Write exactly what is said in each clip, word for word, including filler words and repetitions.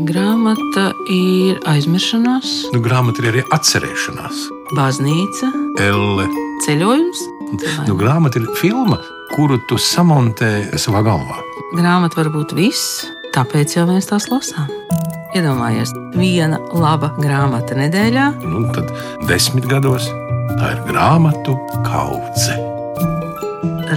Grāmata ir aizmiršanās. Nu, grāmata ir arī atcerēšanās. Baznīca. Elle. Ceļojums. Nu, grāmata ir filma, kuru tu samontē savā galvā. Grāmata var būt viss, tāpēc jau mēs tās lasām. Iedomājies, viena laba grāmata nedēļā. Nu, tad desmit gados tā ir grāmatu kaudze.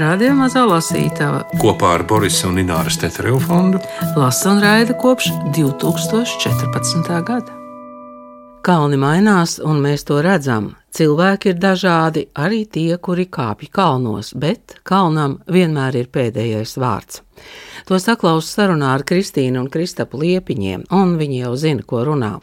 Radio Mazā lasītava Kopā ar Borisa un Ināras Tetereva fondu lasa un raida kopš divi tūkstoši četrpadsmitā gada. Kalni mainās, un mēs to redzam. Cilvēki ir dažādi, arī tie, kuri kāpj kalnos, bet kalnam vienmēr ir pēdējais vārds. To saklaus sarunā ar Kristīnu un Kristapu Liepiņiem, un viņi jau zina, ko runā.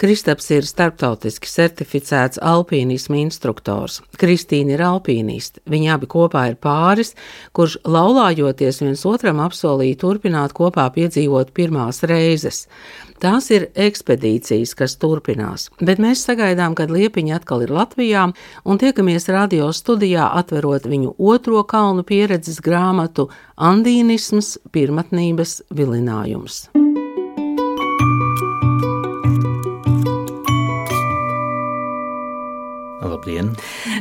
Kristaps ir starptautiski certificēts alpīnisma instruktors. Kristīna ir alpīniste. Viņi abi kopā ir pāris, kurš laulājoties viens otram apsolīja turpināt kopā piedzīvot pirmās reizes. Tās ir ekspedīcijas, kas turpinās, bet mēs sagaidām, kad Liepiņi atkal ir Latvijā un tiekamies radio studijā atverot viņu otro kalnu pieredzes grāmatu Andīnisms – pirmatnības vilinājums. Labdien!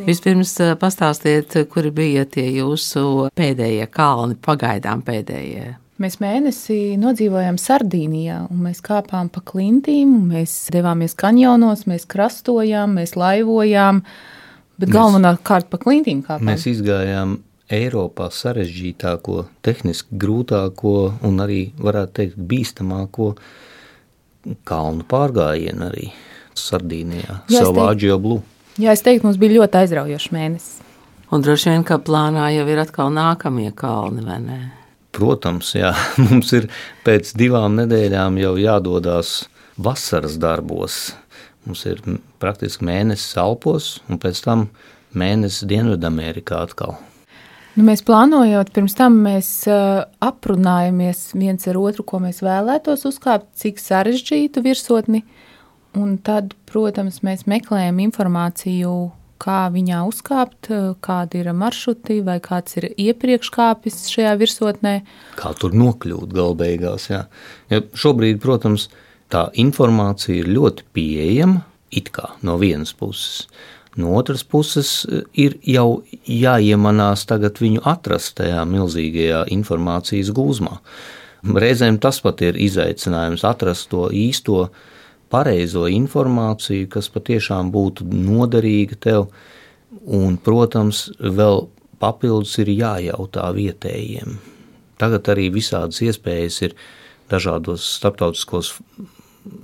Vispirms pastāstiet, kuri bija tie jūsu pēdējie kalni, pagaidām pēdējie. Mēs mēnesi nodzīvojām Sardīnijā, un mēs kāpām pa klintīm, un mēs devāmies kanjonos, mēs krastojām, mēs laivojām, bet galvenokārt pa klintīm kāpām. Mēs izgājām Eiropā sarežģītāko, tehniski grūtāko un arī, varētu teikt, bīstamāko kalnu pārgājienu arī Sardīnijā, Salvāģio Blu. Jā, es teiktu, mums bija ļoti aizraujošs mēnesis. Un droši vien, ka plānā jau ir atkal nākamie kalni, vai ne? Protams, jā, mums ir pēc divām nedēļām jau jādodās vasaras darbos. Mums ir praktiski mēnesis Alpos un pēc tam mēnesis Dienvidamerikā atkal. Nu, mēs plānojot, pirms tam mēs uh, aprunājamies viens ar otru, ko mēs vēlētos uzkāpt, cik sarežģītu virsotni, un tad, protams, mēs meklējam informāciju, kā viņā uzkāpt, kādi ir maršruti vai kāds ir iepriekš kāpis šajā virsotnē. Kā tur nokļūt galbeigās, jā. Ja šobrīd, protams, tā informācija ir ļoti pieejama, it kā no vienas puses. No otras puses ir jau jāiemanās tagad viņu atrast tajā milzīgajā informācijas gūzmā. Reizēm tas pat ir izaicinājums atrast to īsto pareizo informāciju, kas patiešām būtu noderīga tev, un, protams, vēl papildus ir jājautā vietējiem. Tagad arī visādas iespējas ir dažādos starptautiskos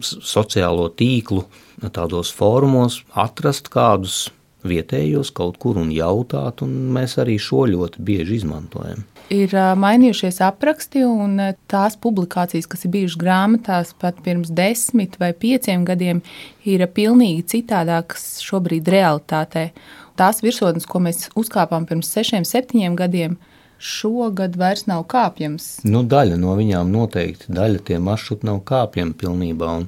sociālo tīklu, tādos fórumos atrast kādus vietējos kaut kur un jautāt, un mēs arī šo ļoti bieži izmantojam. Ir mainījušies apraksti, un tās publikācijas, kas ir bijušas grāmatās pat pirms desmit vai pieciem gadiem, ir pilnīgi citādākas šobrīd realitātē. Tās virsotnes, ko mēs uzkāpām pirms sešiem, septiņiem gadiem, šogad vairs nav kāpjams. Nu, daļa no viņām noteikti, daļa tie maršruti nav kāpjami pilnībā, un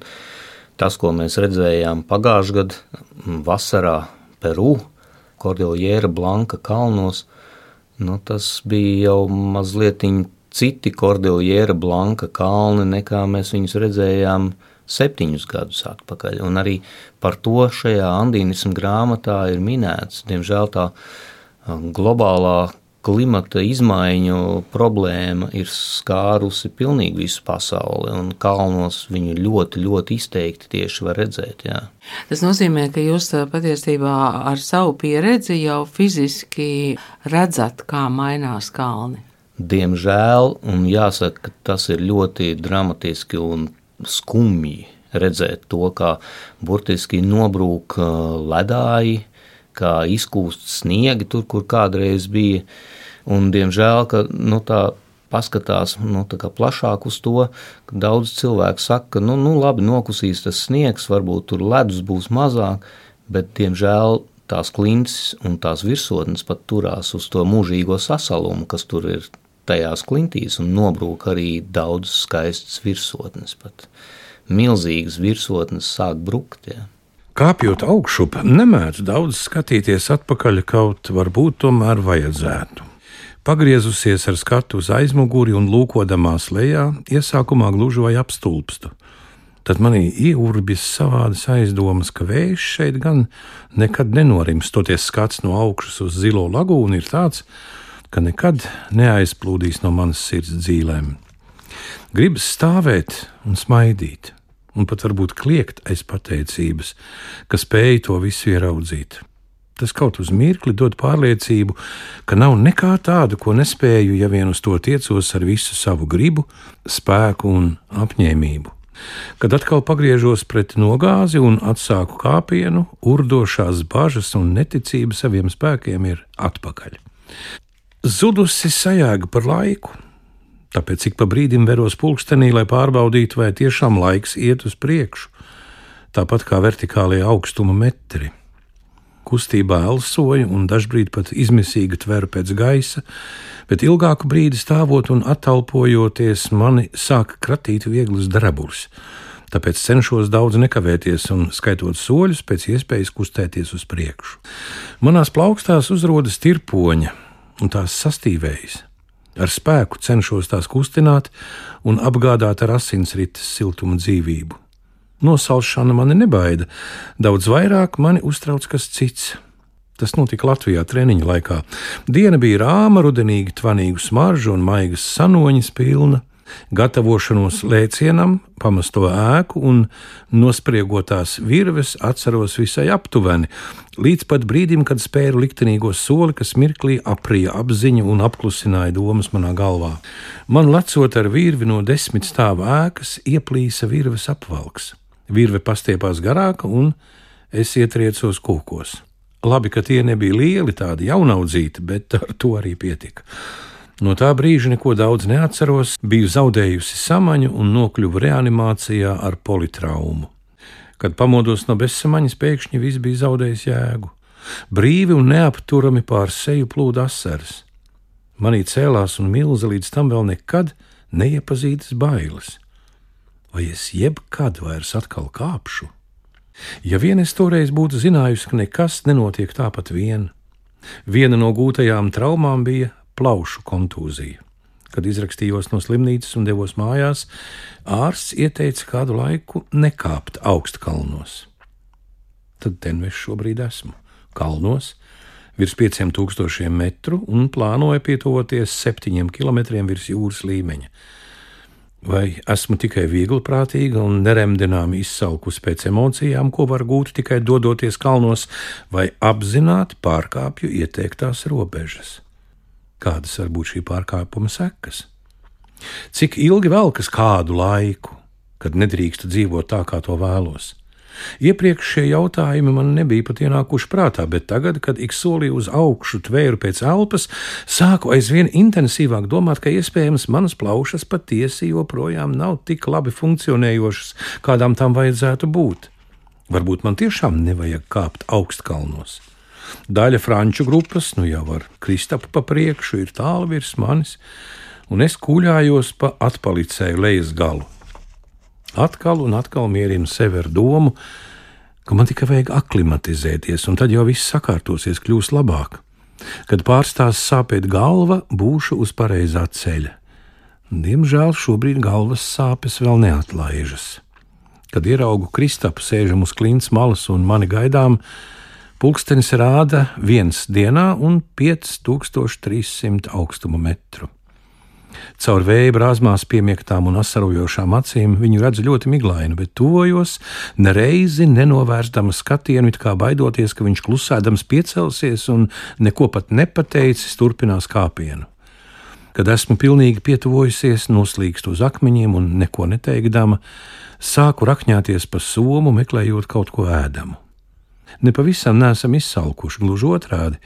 tas, ko mēs redzējām pagājušajā gadā vasarā Peru, Kordiljera Blanka kalnos, nu, tas bija jau mazliet citi Kordiljera Blanka kalni, nekā mēs viņus redzējām septiņus gadus atpakaļ. Un arī par to šajā andīnisma grāmatā ir minēts. Diemžēl tā globālā klimata izmaiņu problēma ir skārusi pilnīgi visu pasauli, un kalnos viņu ļoti, ļoti izteikti tieši var redzēt, jā. Tas nozīmē, ka jūs patiesībā ar savu pieredzi jau fiziski redzat, kā mainās kalni. Diemžēl, un jāsaka, ka tas ir ļoti dramatiski un skumji redzēt to, kā burtiski nobrūk ledāji, kā izkūst sniegi tur, kur kādreiz bija, un diemžēl, ka nu, tā paskatās nu, tā kā plašāk uz to, ka daudz cilvēku saka, ka nu, nu labi, nokusīs tas sniegs, varbūt tur ledus būs mazāk, bet diemžēl tās klintis un tās virsotnes pat turās uz to mūžīgo sasalumu, kas tur ir tajās klintīs, un nobrūk arī daudz skaistas virsotnes pat. Milzīgas virsotnes sāk brukt, jā. Kāpjot augšup, nemēdz daudz skatīties atpakaļ, kaut varbūt tomēr vajadzētu. Pagriezusies ar skatu uz aizmuguri un lūkodamās lejā, iesākumā gluži vai apstulpstu. Tad manī ieurbies savādas aizdomas, ka vējš šeit gan nekad nenorims. Toties skats no augšas uz zilo lagūnu ir tāds, ka nekad neaizplūdīs no manas sirds dzīlēm. Gribas stāvēt un smaidīt, un pat varbūt kliegt aiz pateicības, ka spēju to visu ieraudzīt. Tas kaut uz mirkli dod pārliecību, ka nav nekā tādu, ko nespēju, ja vien uz to tiecos ar visu savu gribu, spēku un apņēmību. Kad atkal pagriežos pret nogāzi un atsāku kāpienu, urdošās bažas un neticība saviem spēkiem ir atpakaļ. Zudusi sajēga par laiku, tāpēc ik pa brīdim veros pulkstenī, lai pārbaudītu, vai tiešām laiks iet uz priekšu, tāpat kā vertikālie augstuma metri. Kustībā elsoju un dažbrīd pat izmisīgi tveru pēc gaisa, bet ilgāku brīdi stāvot un attalpojoties mani sāk kratīt vieglas drabulis. Tāpēc cenšos daudz nekavēties un skaitot soļus pēc iespējas kustēties uz priekšu. Manās plaukstās uzrodas tirpoņa un tās sastīvējas. Ar spēku cenšos tās kustināt un apgādāt ar asinsrites siltumu dzīvību. Nosalšana mani nebaida, daudz vairāk mani uztrauc kas cits. Tas notika Latvijā treniņa laikā. Diena bija rāma, rudenīgi tvanīgu smaržu un maigas sanoņas pilna. Gatavošanos lēcienam, pamesto ēku un nospriegotās virves atceros visai aptuveni, līdz pat brīdim, kad spēru liktenīgo soli, kas mirklī aprija apziņu un apklusināja domas manā galvā. Man lecot ar virvi no desmit stāvu ēkas, ieplīsa virves apvalks. Virve pastiepās garāka un es ietriecos kūkos. Labi, ka tie nebija lieli, tādi jaunaudzīti, bet ar to arī pietika. No tā brīža neko daudz neatceros, biju zaudējusi samaņu un nokļuvu reanimācijā ar politraumu. Kad pamodos no bezsamaņas, pēkšņi viss bija zaudējis jēgu. Brīvi un neapturami pār seju plūda asaras. Manī cēlās un milza līdz tam vēl nekad neiepazītas bailes. Vai es jebkad vairs atkal kāpšu? Ja vien es toreiz būtu zinājusi, ka nekas nenotiek tāpat vien. Viena no gūtajām traumām bija plaušu kontūzija. Kad izrakstījos no slimnīcas un devos mājās, ārsts ieteica kādu laiku nekāpt augstkalnos. Tad tenveš šobrīd esmu. Kalnos, virs pieciem tūkstošiem metru un plānoju pietuvoties septiņiem kilometriem virs jūras līmeņa. Vai esmu tikai viegliprātīga un neremdināmi izsalkusi pēc emocijām, ko var gūt tikai dodoties kalnos, vai apzināti pārkāpju ieteiktās robežas? Kādas var būt šī pārkāpuma sekas? Cik ilgi velkas kādu laiku, kad nedrīkstu dzīvot tā, kā to vēlos? Iepriekš šie jautājumi man nebija pat ienākuši prātā, bet tagad, kad ik solī uz augšu tvēru pēc elpas, sāku aizvien intensīvāk domāt, ka iespējams manas plaušas patiesi joprojām nav tik labi funkcionējošas, kādām tām vajadzētu būt. Varbūt man tiešām nevajag kāpt augstkalnos. Daļa franču grupas, nu jau ar Kristapu pa priekšu, ir tālu virs manis, un es kūļājos pa atpalicēju lejas galu. Atkal un atkal mierinu sevi ar domu, ka man tikai vajag aklimatizēties, un tad jau viss sakārtosies, kļūs labāk. Kad pārstās sāpēt galva, būšu uz pareizā ceļa. Diemžēl šobrīd galvas sāpes vēl neatlaižas. Kad ieraugu Kristapu sēžam uz klints malas un mani gaidām, pulkstenis rāda viens dienā un pieci tūkstoši trīs simti augstuma metru. Caur vēja brāzmās piemiektām un asarojošām acīm viņu redzu ļoti miglainu, bet tuvojos, nereizi nenovērstama skatienu, it kā baidoties, ka viņš klusēdams piecelsies un neko pat nepateicis, turpinās kāpienu. Kad esmu pilnīgi pietuvojusies, noslīkstu uz akmeņiem un neko neteikdama, sāku rakņāties pa somu, meklējot kaut ko ēdamu. Nepavisam neesam izsalkuši, gluži otrādi.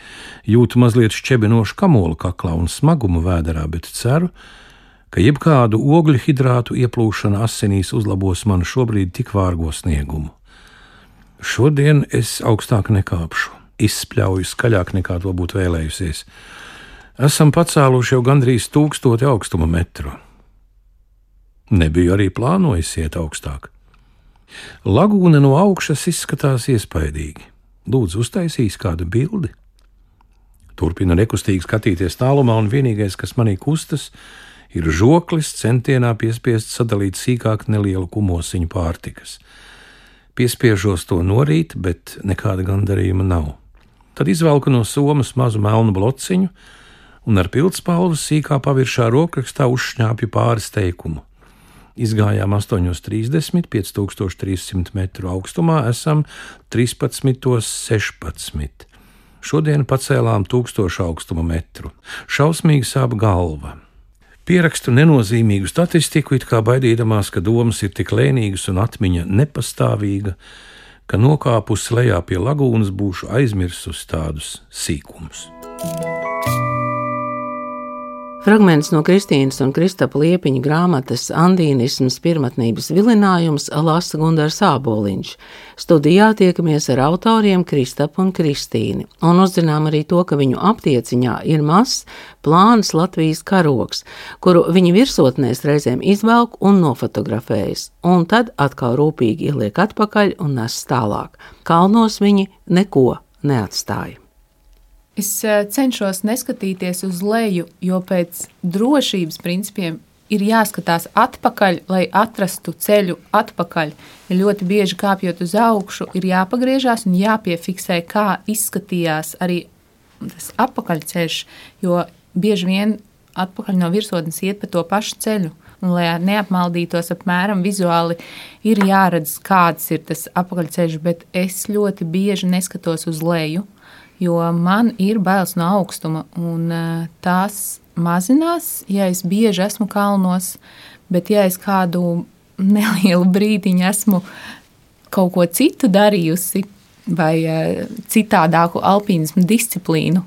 Jūtu mazliet šķebinošu kamolu kaklā un smagumu vēderā, bet ceru, ka jebkādu ogļu hidrātu ieplūšana asinīs uzlabos manu šobrīd tik vārgo sniegumu. Šodien es augstāk nekāpšu, izspļauju skaļāk nekā to būtu vēlējusies. Esam pacēluši jau gandrīz tūkstoti augstuma metru. Nebiju arī plānojis iet augstāk. Lagūna no augšas izskatās iespaidīgi. Lūdzu, uztaisīs kādu bildi. Turpina nekustīgi skatīties tālumā, un vienīgais, kas manī kustas, Ir žoklis centienā piespiest sadalīt sīkāk nelielu kumosiņu pārtikas. Piespiežos to norīt, bet nekāda gandarījuma nav. Tad izvelku no somas mazu melnu blociņu un ar pildspalvas sīkā paviršā rokrakstā uzšņāpju pāris teikumu. Izgājām astoņos trīsdesmit, pieci tūkstoši trīs simti metru augstumā, esam trīspadsmitos sešpadsmit. Šodien pacēlām tūkstošu augstuma metru. Šausmīgi sāp galva. Pierakstu nenozīmīgu statistiku, it kā baidīdamās, ka domas ir tik lēnīgas un atmiņa nepastāvīga, ka nokāpusi lejā pie lagūnas būšu aizmirsus tādus sīkumus. Fragments no Kristīnas un Kristapa Liepiņa grāmatas Andīnisms pirmatnības vilinājums lasa Gundars Āboliņš. Studijā tiekamies ar autoriem Kristapu un Kristīni un uzzinām arī to, ka viņu aptieciņā ir mazs, plāns Latvijas karogs, kuru viņi virsotnēs reizēm izvelk un nofotografējas, un tad atkal rūpīgi ieliek atpakaļ un nes tālāk. Kalnos viņi neko neatstāja. Es cenšos neskatīties uz leju, jo pēc drošības principiem ir jāskatās atpakaļ, lai atrastu ceļu atpakaļ. Ja ļoti bieži kāpjot uz augšu, ir jāpagriežās un jāpiefiksē, kā izskatījās arī tas atpakaļceļš, jo bieži vien atpakaļ no virsotnes iet pa to pašu ceļu. Un, lai neapmaldītos apmēram vizuāli, ir jāredz, kāds ir tas atpakaļceļš, bet es ļoti bieži neskatos uz leju, jo man ir bailes no augstuma, un tās mazinās, ja es bieži esmu kalnos, bet ja es kādu nelielu brīdiņu esmu kaut ko citu darījusi vai citādāku alpīnismu disciplīnu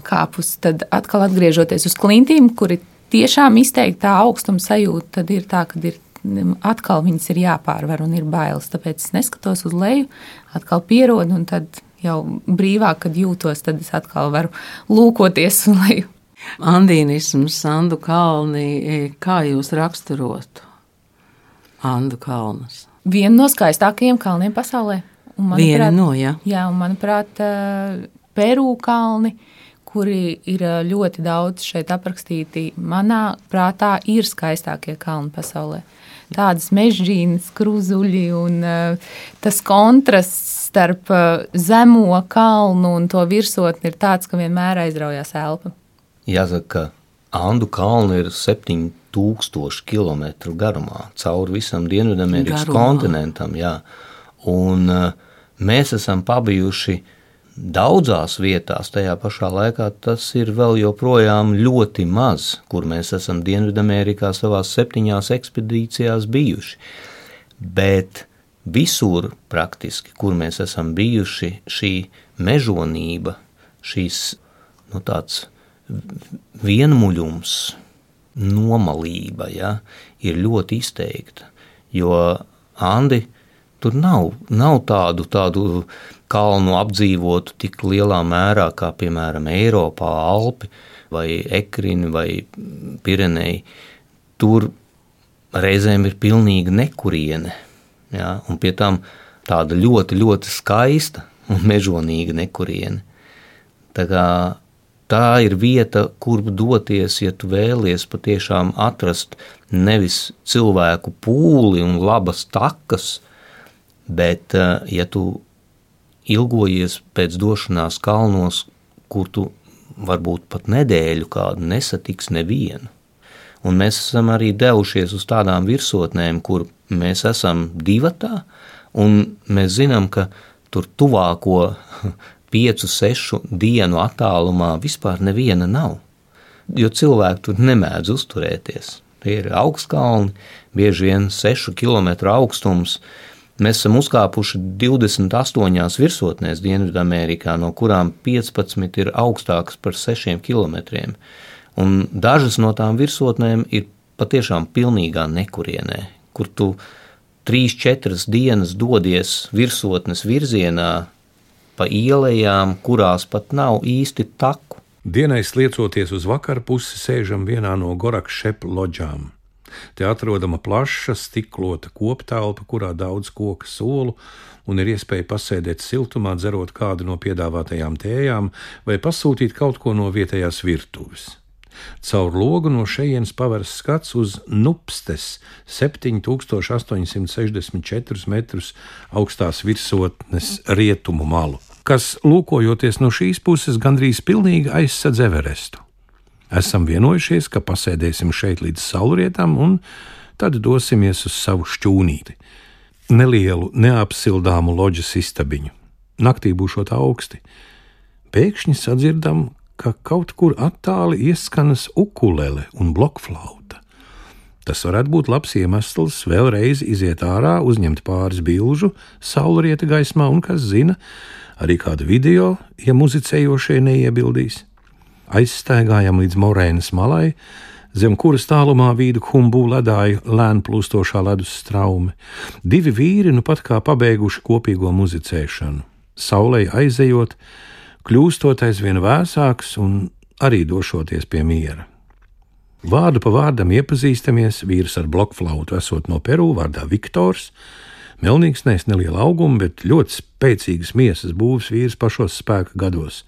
kāpus, tad atkal atgriežoties uz klintīm, kuri tiešām izteikti tā augstuma sajūta, tad ir tā, ka ir atkal viņas ir jāpārvar un ir bailes, tāpēc es neskatos uz leju, atkal pierodu un tad jau brīvāk, kad jūtos, tad es atkal varu lūkoties un leju. Andīnisms, Andu kalni, kā jūs raksturotu Andu kalnus? Viena no skaistākajiem kalniem pasaulē. Un, manuprāt, Viena no, jā. Jā, un manuprāt, Peru kalni, kuri ir ļoti daudz šeit aprakstīti, manā prātā ir skaistākie kalni pasaulē. Tādas mežģīnas, kruzuļi un uh, tas kontrasts starp uh, zemo kalnu un to virsotni ir tāds, ka vienmēr aizraujās elpa. Jāsaka, ka Andu kalni ir septiņi tūkstoši kilometru garumā, cauri visam Dienvidamerikas kontinentam, jā. Un uh, mēs esam pabijuši daudzās vietās, tajā pašā laikā tas ir vēl joprojām ļoti maz, kur mēs esam Dienvidamerikā savās septiņās ekspedīcijās bijuši. Bet visur praktiski, kur mēs esam bijuši, šī mežonība, šīs nu, tāds vienmuļums, nomalība, ja, ir ļoti izteikta, jo Andi tur nav, nav tādu, tādu kalnu apdzīvotu tik lielā mērā, kā piemēram Eiropā, Alpi vai Ekrini vai Pireneji. Tur reizēm ir pilnīga nekuriene, ja, un pie tam tāda ļoti, ļoti skaista un mežonīga nekuriene. Tā kā tā ir vieta, kur doties, ja tu vēlies patiešām atrast nevis cilvēku pūli un labas takas, bet ja tu ilgojies pēc došanās kalnos, kur tu varbūt pat nedēļu kādu nesatiks nevienu. Un mēs esam arī devušies uz tādām virsotnēm, kur mēs esam divatā, un mēs zinām, ka tur tuvāko piecu, sešu dienu attālumā vispār neviena nav, jo cilvēki tur nemēdz uzturēties. Tie ir augstkalni, bieži vien sešu kilometru augstums. Mēs esam uzkāpuši divdesmit astoņās virsotnēs Dienvidamerikā, no kurām piecpadsmit ir augstākas par sešiem kilometriem. Un dažas no tām virsotnēm ir patiešām pilnīgā nekurienē, kur tu trīs, četras dienas dodies virsotnes virzienā pa ielējām, kurās pat nav īsti taku. Dienai sliecoties uz vakaru pusi, sēžam vienā no Gorakšep loģām. Te atrodama plaša, stiklota koptelpa, kurā daudz koka solu, un ir iespēja pasēdēt siltumā, dzerot kādu no piedāvātajām tējām vai pasūtīt kaut ko no vietējās virtuves. Caur logu no šejienes paveras skats uz Nupstes septiņi tūkstoši astoņsimt sešdesmit četrus metrus augstās virsotnes rietumu malu, kas, lūkojoties no šīs puses, gandrīz pilnīgi aizsedz Everestu. Esam vienojušies, ka pasēdēsim šeit līdz saulrietām un tad dosimies uz savu šķūnīti. Nelielu, neapsildāmu loģas istabiņu. Naktī būšot augsti. Pēkšņi sadzirdam, ka kaut kur attāli ieskanas ukulele un blokflauta. Tas varētu būt labs iemesls vēlreiz iziet ārā, uzņemt pāris bilžu saulrieta gaismā un, kas zina, arī kādu video, ja muzicējošie neiebildīs. Aizstaigājam līdz Morēnas malai, zem kuras tālumā vīdu Humbu ledāja lēn plūstošā ledus straume. Divi vīri nu pat kā pabeiguši kopīgo muzicēšanu. Saulei aizejot, kļūstot aizvien vēsāks un arī došoties pie miera. Vārdu pa vārdam iepazīstamies, vīrs ar blokflautu esot no Peru, vārdā Viktors, melnīgs nes neliela auguma, bet ļoti spēcīgas miesas būvs vīrs pašos spēka gados.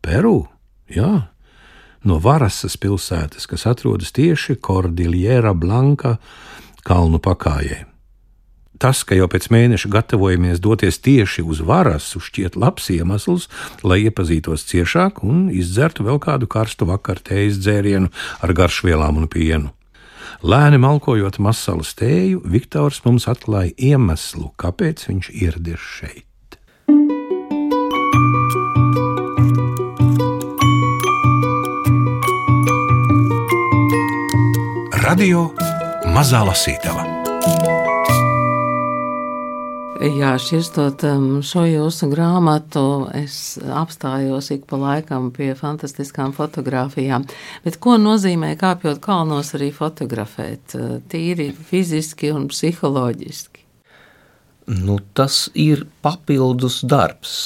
Peru? Jā, no Varasas pilsētas, kas atrodas tieši Cordillera Blanca kalnu pakājē. Tas, ka jau pēc mēneša gatavojamies doties tieši uz Varasu, šķiet labs iemesls, lai iepazītos ciešāk un izdzertu vēl kādu karstu vakaru tējas dzērienu ar garšvielām un pienu. Lēni malkojot masalas tēju, Viktors mums atklāja iemeslu, kāpēc viņš ieradies šeit. Radio Mazā Lasītava. Jā, širstot šo jūsu grāmatu, es apstājos ik pa laikam pie fantastiskām fotogrāfijām. Bet ko nozīmē kāpjot kalnos arī fotografēt? Tīri fiziski un psiholoģiski. Nu, tas ir papildus darbs.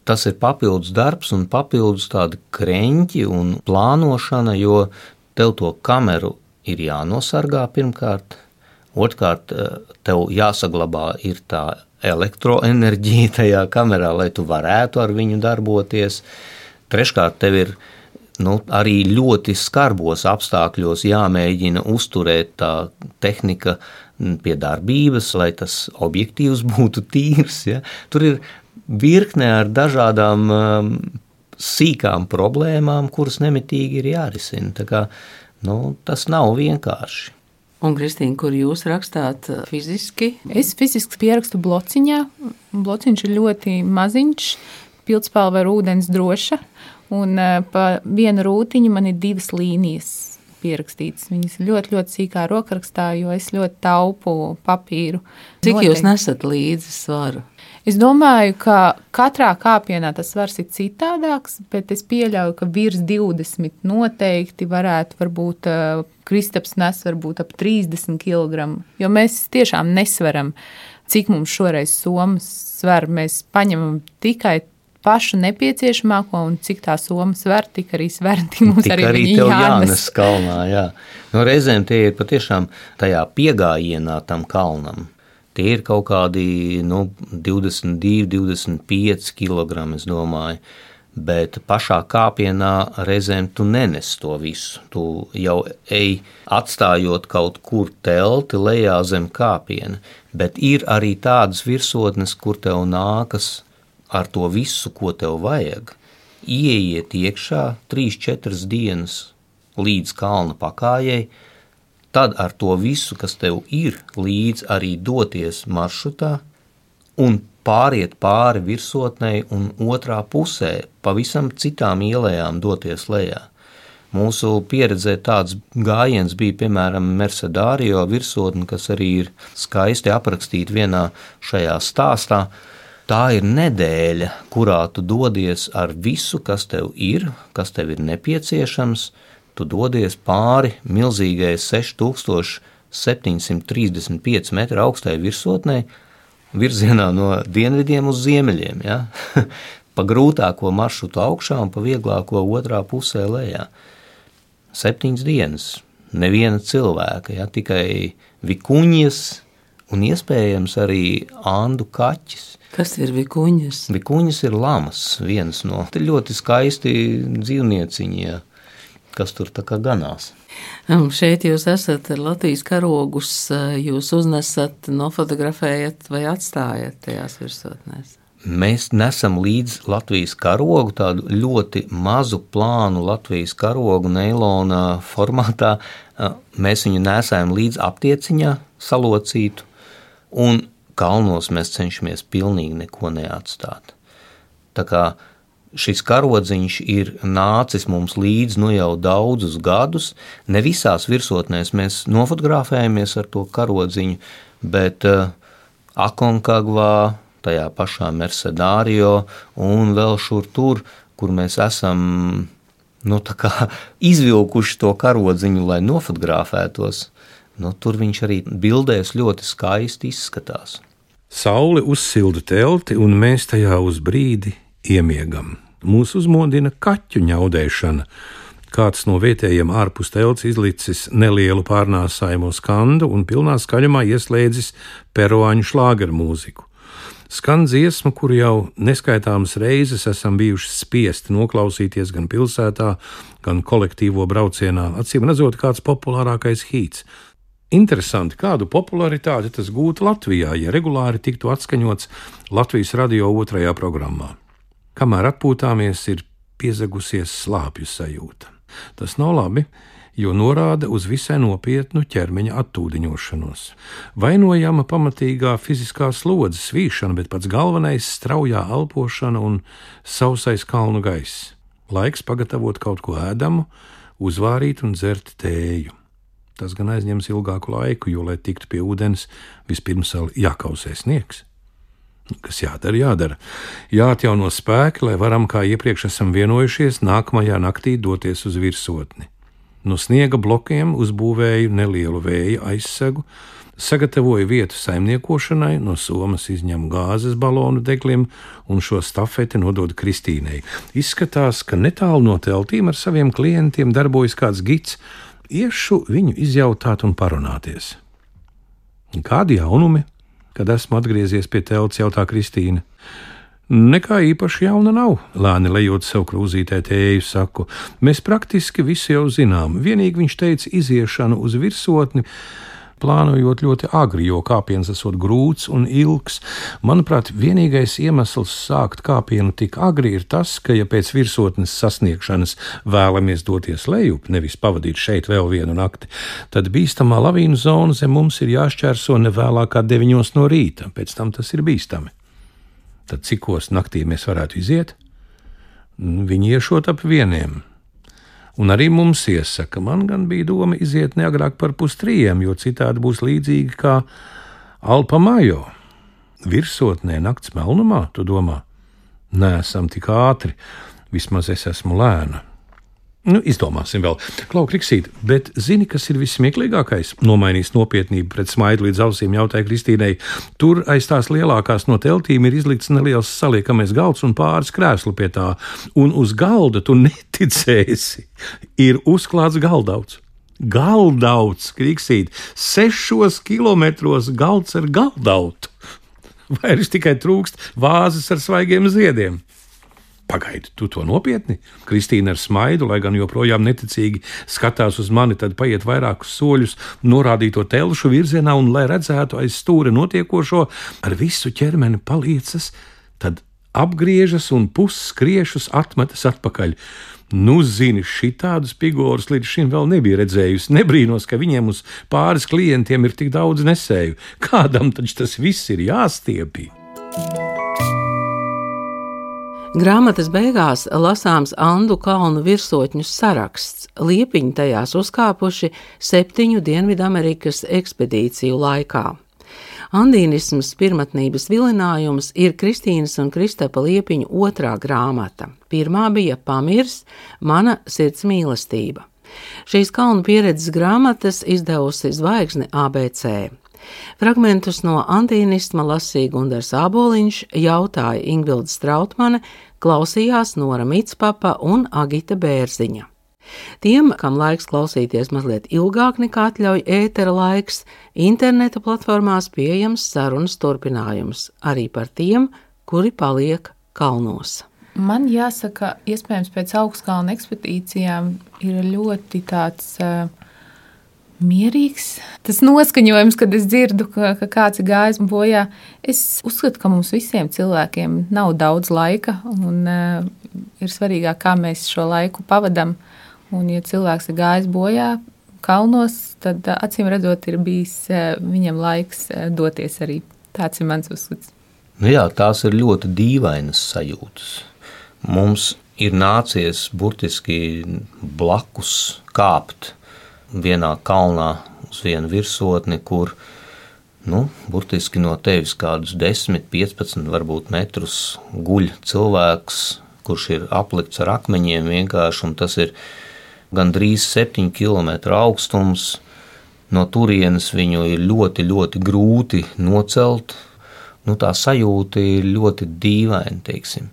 Tas ir papildus darbs un papildus tādi kreņķi un plānošana, jo tev to kameru ir jānosargā pirmkārt. Otrkārt, tev jāsaglabā ir tā elektroenerģija tajā kamerā, lai tu varētu ar viņu darboties. Treškārt, tev ir nu, arī ļoti skarbos apstākļos jāmēģina uzturēt tā tehnika pie darbības, lai tas objektīvs būtu tīrs. Ja? Tur ir virkne ar dažādām um, sīkām problēmām, kuras nemitīgi ir jārisina. Tā kā, nu, tas nav vienkārši. Un, Kristīna, kur jūs rakstāt fiziski? Es fiziski pierakstu blociņā. Blociņš ir ļoti maziņš, pildspalva ar ūdens droša, un pa vienu rūtiņu man ir divas līnijas pierakstītas. Viņas ir ļoti, ļoti sīkā rokrakstā, jo es ļoti taupu papīru. Cik Noteikti. Jūs nesat līdzi svaru? Es domāju, ka katrā kāpienā tas svars ir citādāks, bet es pieļauju, ka virs divdesmit noteikti varētu varbūt Kristaps nes varbūt ap trīsdesmit kilogramu, jo mēs tiešām nesveram, cik mums šoreiz somas sver. Mēs paņemam tikai pašu nepieciešamāko, un cik tā soma sver, tik arī sver, tik mums tik arī, arī viņi tev jānes. jānes kalnā, jā. No reizēm tie ir patiešām tajā piegājienā tam kalnam. Tie ir kaut kādi nu, divdesmit divi, divdesmit pieci kilogrami, es domāju, bet pašā kāpienā reizēm tu nenes to visu. Tu jau ej atstājot kaut kur telti lejā zem kāpiena, bet ir arī tādas virsotnes, kur tev nākas ar to visu, ko tev vajag, ieiet iekšā trīs četras dienas līdz kalna pakājai, tad ar to visu, kas tev ir, līdz arī doties maršrutā un pāriet pāri virsotnei un otrā pusē, pavisam citām ielējām doties lejā. Mūsu pieredzē tāds gājiens bija, piemēram, Mercedārio virsotne, kas arī ir skaisti aprakstīta vienā šajā stāstā. Tā ir nedēļa, kurā tu dodies ar visu, kas tev ir, kas tev ir nepieciešams. Tu dodies pāri milzīgai seši tūkstoši septiņsimt trīsdesmit pieci metru augstai virsotnei, virzienā no dienvidiem uz ziemeļiem, ja? Pa grūtāko maršrutu augšā un pa vieglāko otrā pusē lejā. Septiņas dienas, neviena cilvēka, ja? Tikai vikuņas un iespējams arī andu kaķis. Kas ir vikuņas? Vikuņas ir lamas, viens no ļoti skaisti dzīvnieciņi, ja? kas tur tā kā ganās. Um, šeit jūs esat Latvijas karogus, jūs uznesat, nofotografējat vai atstājat tajās virsotnēs? Mēs nesam līdz Latvijas karogu, tādu ļoti mazu plānu Latvijas karogu neilona formātā. Mēs viņu nesājam līdz aptieciņā salocītu, un kalnos mēs cenšamies pilnīgi neko neatstāt. Tā kā šis karodziņš ir nācis mums līdz nu jau daudzus gadus. Ne visās virsotnēs mēs nofotografējamies ar to karodziņu, bet uh, Aconcagvā, tajā pašā Mercedario un vēl šur tur, kur mēs esam nu, tā kā izvilkuši to karodziņu, lai nofotografētos, nu, tur viņš arī bildēs ļoti skaisti izskatās. Saule uzsilda telti, un mēs tajā uz brīdi iemiegam. Mūs uzmodina kaķu ņaudēšana. Kāds no vietējiem ārpus telts izlicis nelielu pārnāsājumu skandu un pilnā skaļumā ieslēdzis peruāņu šlāgeru mūziku. Skan dziesma, kuru jau neskaitāmas reizes esam bijuši spiesti noklausīties gan pilsētā, gan kolektīvo braucienā, acīm redzot kāds populārākais hīts. Interesanti, kādu popularitāti tas gūtu Latvijā, ja regulāri tiktu atskaņots Latvijas radio otrajā programmā. Kamēr atpūtāmies, ir piezagusies slāpju sajūta. Tas nav labi, jo norāda uz visai nopietnu ķermeņa attūdiņošanos. Vainojama pamatīgā fiziskā slodze, svīšana, bet pats galvenais straujā elpošana un sausais kalnu gaiss. Laiks pagatavot kaut ko ēdamu, uzvārīt un dzert tēju. Tas gan aizņems ilgāku laiku, jo, lai tiktu pie ūdens, vispirms vēl jākausē sniegs. Kas jādara, jādara. Jāatjauno spēki, lai varam, kā iepriekš esam vienojušies, nākamajā naktī doties uz virsotni. No sniega blokiem uzbūvēju nelielu vēja aizsegu, sagatavoju vietu saimniekošanai, no somas izņemu gāzes balonu deglim un šo stafeti nododu Kristīnei. Izskatās, ka netālu no teltīm ar saviem klientiem darbojas kāds gids. Iešu viņu izjautāt un parunāties. Kādi jaunumi, kad esmu atgriezies pie telts, jautā Kristīna. Nekā īpaši jauna nav, lēni lejot sev krūzītē tēju, saku. Mēs praktiski visu jau zinām, vienīgi viņš teica iziešanu uz virsotni, plānojot ļoti agri, jo kāpiens esot grūts un ilgs. Manuprāt, vienīgais iemesls sākt kāpienu tik agri ir tas, ka, ja pēc virsotnes sasniegšanas vēlamies doties lejup, nevis pavadīt šeit vēl vienu nakti, tad bīstamā lavīnu zona zem mums ir jāšķērso ne vēlāk kā deviņos no rīta, pēc tam tas ir bīstami. Tad cikos naktī mēs varētu iziet? Viņi iešot ap vieniem. Un arī mums iesaka, man gan bija doma iziet neagrāk par pustrījiem, jo citādi būs līdzīgi kā Alpa Majo. Virsotnē nakts melnumā, tu domā? Nē, esam tik ātri, vismaz es esmu lēna. Nu, izdomāsim vēl. Klau, Kriksīt, bet zini, kas ir vissmieklīgākais? Nomainīs nopietnību pret smaidu līdz ausīm, jautāja Kristīnei. Tur aiz tās lielākās no teltīm ir izlikts neliels saliekamais galds un pāris krēslu pie tā. Un uz galda, tu neticēsi, ir uzklāts galdauts. Galdauts, Kriksīt, sešos kilometros galds ar galdautu. Vairs tikai trūkst vāzes ar svaigiem ziediem. Pagaidi, tu to nopietni? Kristīna ar smaidu, lai gan joprojām neticīgi skatās uz mani, tad paiet vairākus soļus norādīto telšu virzienā un, lai redzētu aiz stūra notiekošo, ar visu ķermeni paliecas, tad apgriežas un pusskriešus atmetas atpakaļ. Nu, zini, šitādus pigorus līdz šim vēl nebija redzējusi. Nebrīnos, ka viņiem uz pāris klientiem ir tik daudz nesēju. Kādam taču tas viss ir jāstiepī. Grāmatas beigās lasāms Andu kalnu virsotņu saraksts. Liepiņi tajās uzkāpuši septiņu Dienvidamerikas ekspedīciju laikā. Andīnisms pirmatnības vilinājums ir Kristīnas un Kristapa Liepiņu otrā grāmata. Pirmā bija Pamirs, mana sirds mīlestība. Šīs kalnu pieredzes grāmatas izdevusi Zvaigzne A B C. Fragmentus no andīnisma lasīja Gundars Āboliņš, jautāja Ingvilda Strautmane, klausījās Nora Mitspapa un Agita Bērziņa. Tiem, kam laiks klausīties mazliet ilgāk nekā atļauj ētera laiks, interneta platformās pieejams sarunas turpinājums, arī par tiem, kuri paliek kalnos. Man jāsaka, iespējams pēc augstkalnu ekspedīcijām ir ļoti tāds uh, mierīgs. Tas noskaņojums, kad es dzirdu, ka, ka kāds ir gājis bojā. Es uzskatu, ka mums visiem cilvēkiem nav daudz laika un uh, ir svarīgāk, kā mēs šo laiku pavadam. Un, ja cilvēks ir gājis bojā kalnos, tad uh, acīm redzot ir bijis uh, viņam laiks uh, doties arī. Tāds ir mans uzskats. Nu jā, tās ir ļoti dīvainas sajūtas. Mums ir nācies burtiski blakus kāpt vienā kalnā uz vienu virsotni, kur nu, burtiski no tevis kādus desmit, piecpadsmit varbūt metrus guļ cilvēks, kurš ir aplikts ar akmeņiem vienkārši, un tas ir gandrīz septiņu kilometru augstums. No turienes viņu ir ļoti, ļoti grūti nocelt. Nu, tā sajūta ir ļoti dīvaina, teiksim.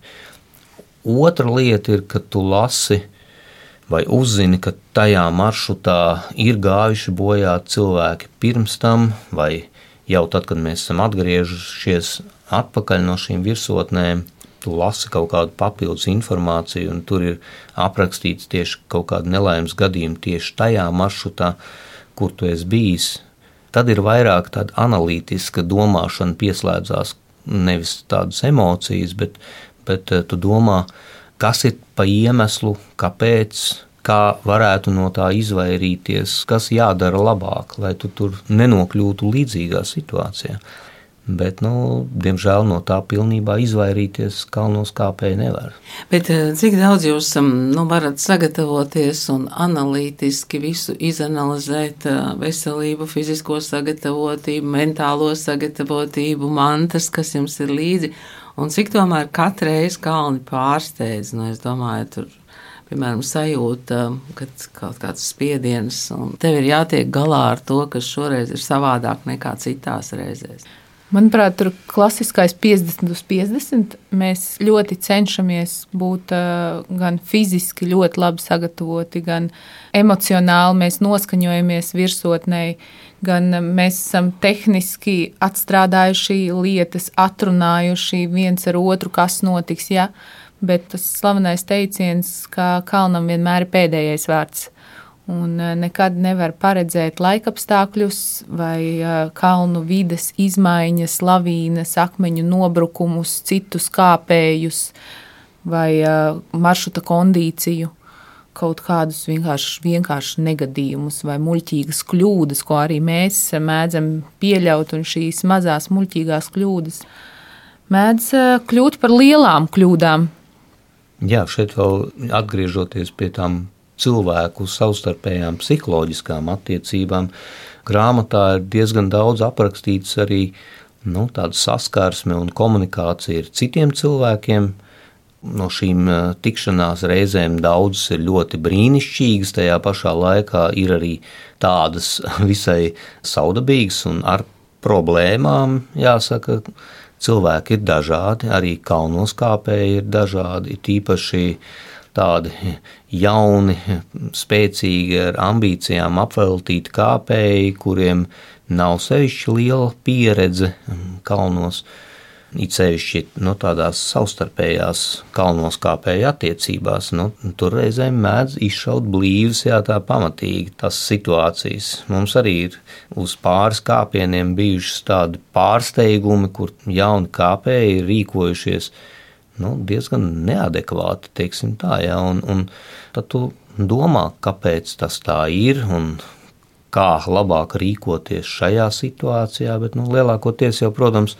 Otra lieta ir, ka tu lasi vai uzzini, ka tajā maršrutā ir gājuši bojā cilvēki pirms tam, vai jau tad, kad mēs esam atgriežušies atpakaļ no šīm virsotnēm, tu lasi kaut kādu papildus informāciju, un tur ir aprakstīts tieši kaut kāda nelaimes gadījuma tieši tajā maršrutā, kur tu esi bijis. Tad ir vairāk tāda analītiska domāšana pieslēdzās, nevis tādas emocijas, bet, bet tu domā, kas ir pa iemeslu, kāpēc, kā varētu no tā izvairīties, kas jādara labāk, lai tu tur nenokļūtu līdzīgā situācijā. Bet, nu, diemžēl no tā pilnībā izvairīties kalnos kāpēji nevar. Bet cik daudz jūs nu, varat sagatavoties un analītiski visu izanalizēt, veselību, fizisko sagatavotību, mentālo sagatavotību, mantas, kas jums ir līdzi, un cik tomēr katreiz kalni pārsteidz, nu, es domāju, tur, piemēram, sajūta, kad kaut kāds spiediens, un tev ir jātiek galā ar to, kas šoreiz ir savādāk nekā citās reizēs. Manuprāt, tur klasiskais piecdesmit uz piecdesmit. Mēs ļoti cenšamies būt uh, gan fiziski ļoti labi sagatavoti, gan emocionāli mēs noskaņojamies virsotnei, gan mēs esam tehniski atstrādājuši lietas, atrunājuši viens ar otru, kas notiks, ja? Bet tas slavenais teiciens, ka kalnam vienmēr ir pēdējais vārds. Un nekad nevar paredzēt laikapstākļus vai kalnu vides izmaiņas, lavīnas, akmeņu nobrukumus, citus kāpējus vai maršruta kondīciju, kaut kādus vienkārši, vienkārši negadījumus vai muļķīgas kļūdas, ko arī mēs mēdzam pieļaut, un šīs mazās muļķīgās kļūdas mēdz kļūt par lielām kļūdām. Jā, šeit vēl atgriežoties pie tām cilvēku savstarpējām psiholoģiskām attiecībām. Grāmatā ir diezgan daudz aprakstīts arī nu, tāda saskarsme un komunikācija ar citiem cilvēkiem. No šīm tikšanās reizēm daudzas ir ļoti brīnišķīgas, tajā pašā laikā ir arī tādas visai saudabīgas un ar problēmām, jāsaka. Cilvēki ir dažādi, arī kalnos kāpēji ir dažādi, tīpaši tādi jauni, spēcīgi ar ambīcijām apveltīti kāpēji, kuriem nav sevišķi liela pieredze kalnos, it sevišķi no tādās savstarpējās kalnos kāpēju attiecībās. Nu, tur reizēm mēdz izšaut blīvas, jā, tā pamatīgi tas situācijas. Mums arī ir uz pāris kāpieniem bijušas tādi pārsteigumi, kur jauni kāpēji ir rīkojušies nu, diezgan neadekvāti, teiksim tā, jā, un, un tad tu domā, kāpēc tas tā ir un kā labāk rīkoties šajā situācijā, bet nu, lielākoties jau, protams,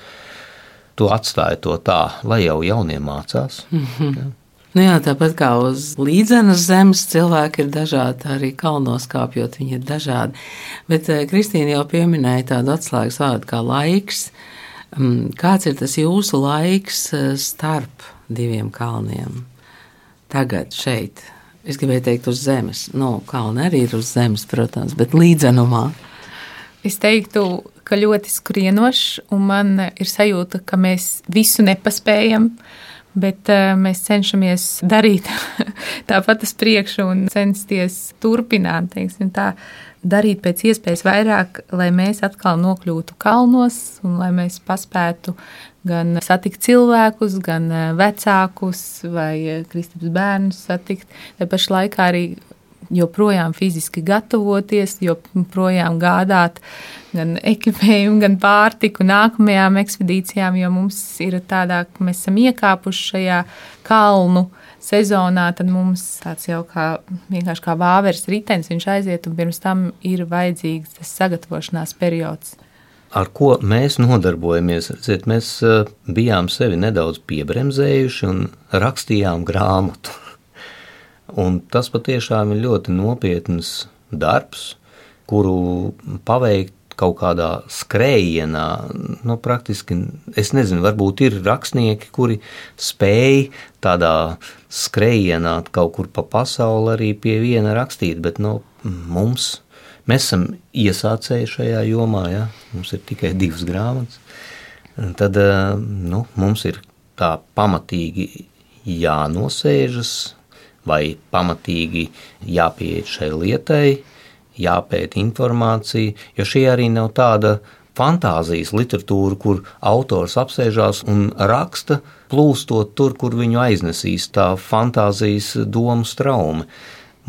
tu atstāji to tā, lai jau jaunie mācās. Mm-hmm. Jā. Nu jā, tāpat kā uz līdzenas zemes cilvēki ir dažādi, arī kalnos kāpjot viņi ir dažādi. Bet Kristīna jau pieminēja tādu atslēgas vārdu kā laiks. Kāds ir tas jūsu laiks starp diviem kalniem? Tagad, šeit, es gribēju teikt uz zemes. Nu, kalni arī ir uz zemes, protams, bet līdzenumā. Es teiktu, ka ļoti skrienošs, un man ir sajūta, ka mēs visu nepaspējam, bet uh, mēs cenšamies darīt tāpat uz priekšu un censties turpināt, teiksim tā. darīt pēc iespējas vairāk, lai mēs atkal nokļūtu kalnos un lai mēs paspētu gan satikt cilvēkus, gan vecākus vai Kristaps bērnus satikt. Te pašā laikā arī joprojām fiziski gatavoties, joprojām gādāt gan ekipējumu, gan pārtiku nākamajām ekspedīcijām, jo mums ir tādā, ka mēs esam iekāpuši šajā kalnu sezonā, tad mums tāds jau kā vienkārši kā vāveres ritenis, viņš aiziet un pirms tam ir vajadzīgs tas sagatavošanās periods. Ar ko mēs nodarbojamies? Redziet, mēs bijām sevi nedaudz piebremzējuši un rakstījām grāmatu. Un tas patiešām ir ļoti nopietns darbs, kuru paveikt kaut kādā skrējienā, nu praktiski, es nezinu, varbūt ir rakstnieki, kuri spēj tādā skrējienā kaut kur pa pasauli arī pie viena rakstīt, bet nu, mums, mēs esam iesācēji šajā jomā, ja? Mums ir tikai divas grāmatas, tad nu, mums ir tā pamatīgi jānosēžas vai pamatīgi jāpieiet šai lietai, jāpēta informācija, jo šī arī nav tāda fantāzijas literatūra, kur autors apsēžās un raksta, plūstot tur, kur viņu aiznesīs tā fantāzijas domu straume.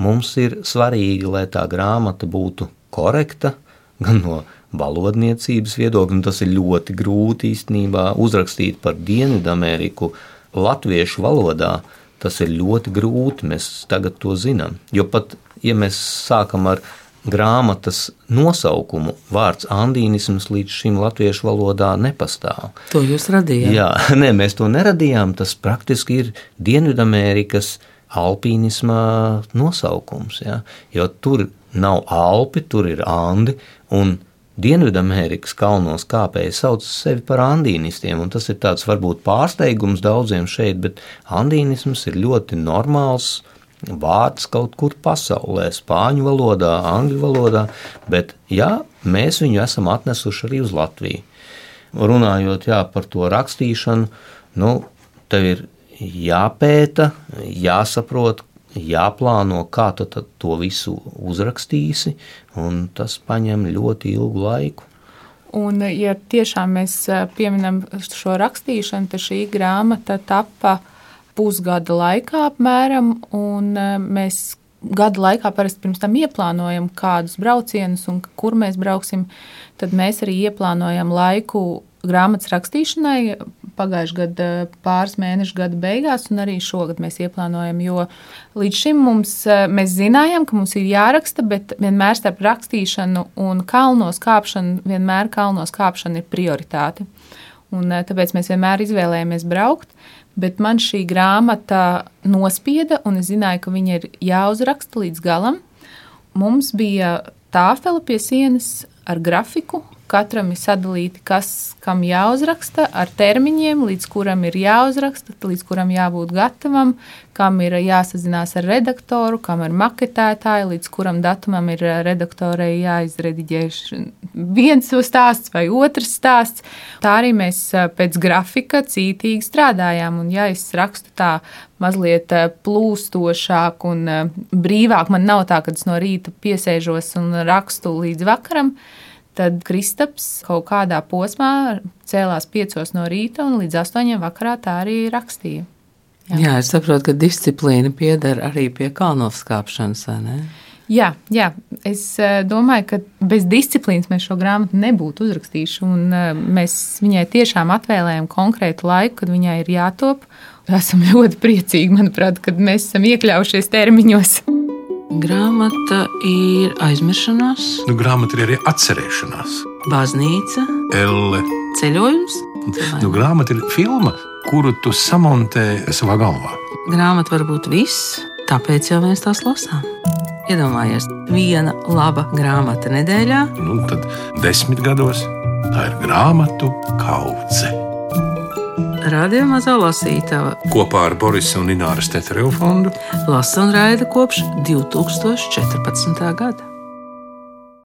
Mums ir svarīgi, lai tā grāmata būtu korekta, gan no valodniecības viedokļa, un tas ir ļoti grūti īstenībā uzrakstīt par Dienvidameriku latviešu valodā. Tas ir ļoti grūti, mēs tagad to zinām, jo pat, ja mēs sākam ar grāmatas nosaukumu, vārds andīnisms līdz šim latviešu valodā nepastāv. To jūs radījāt? Jā, nē, mēs to neradījām, tas praktiski ir Dienvidamerikas alpīnisma nosaukums, ja? Jo tur nav Alpi, tur ir Andi, un Dienvidamerikas kalnos kāpēji sauc sevi par andīnistiem, un tas ir tāds varbūt pārsteigums daudziem šeit, bet andīnisms ir ļoti normāls vārds kaut kur pasaulē, spāņu valodā, angļu valodā, bet jā, mēs viņu esam atnesuši arī uz Latviju. Runājot jā, par to rakstīšanu, nu, tev ir jāpēta, jāsaprot, jāplāno, kā tu to visu uzrakstīsi, un tas paņem ļoti ilgu laiku. Un, ja tiešām mēs pieminam šo rakstīšanu, tad šī grāmata tappa pusgada laikā apmēram, un mēs gada laikā parasti pirms tam ieplānojam kādus braucienus un kur mēs brauksim, tad mēs arī ieplānojam laiku grāmatas rakstīšanai pagājušajā gada pāris mēnešu gada beigās, un arī šogad mēs ieplānojam, jo līdz šim mums, mēs zinājām, ka mums ir jāraksta, bet vienmēr starp rakstīšanu un kalnos kāpšanu, vienmēr kalnos kāpšana ir prioritāte. Un tāpēc mēs vienmēr izvēlējāmies braukt, bet man šī grāmata nospieda, un es zināju, ka viņa ir jāuzraksta līdz galam. Mums bija tāfele pie sienas ar grafiku, katram ir sadalīti, kas kam jāuzraksta, ar termiņiem, līdz kuram ir jāuzraksta, līdz kuram jābūt gatavam, kam ir jāsazinās ar redaktoru, kam ir maketētāji, līdz kuram datumam ir redaktorei jāizrediģē viens stāsts vai otrs stāsts. Tā arī mēs pēc grafika cītīgi strādājām, un ja es rakstu tā mazliet plūstošāk un brīvāk, man nav tā, kad es no rīta piesēžos un rakstu līdz vakaram, tad Kristaps kaut kādā posmā cēlās piecos no rīta un līdz astoņiem vakarā tā arī rakstīja. Jā, jā es saprotu, ka disciplīna pieder arī pie kalnoskāpšanas, vai ne? Jā, jā, es domāju, ka bez disciplīnas mēs šo grāmatu nebūtu uzrakstījuši, un mēs viņai tiešām atvēlējam konkrētu laiku, kad viņai ir jātop. Esam ļoti priecīgi, manuprāt, kad mēs esam iekļaujušies termiņos. Grāmata ir aizmiršanās, Nu, grāmata ir arī atcerēšanās. baznīca, Elle. ceļojums. Nu, grāmata ir filma, kuru tu samontē savā galvā. Grāmata var būt viss, tāpēc jau mēs tās lasām. Iedomājies, viena laba grāmata nedēļā. Nu, tad desmit gados tā ir grāmatu kaudze. Radio Mazā lasītava Kopā ar Borisa un Ināras Tetereva fondu lasa un raida kopš divi tūkstoši četrpadsmitā gada.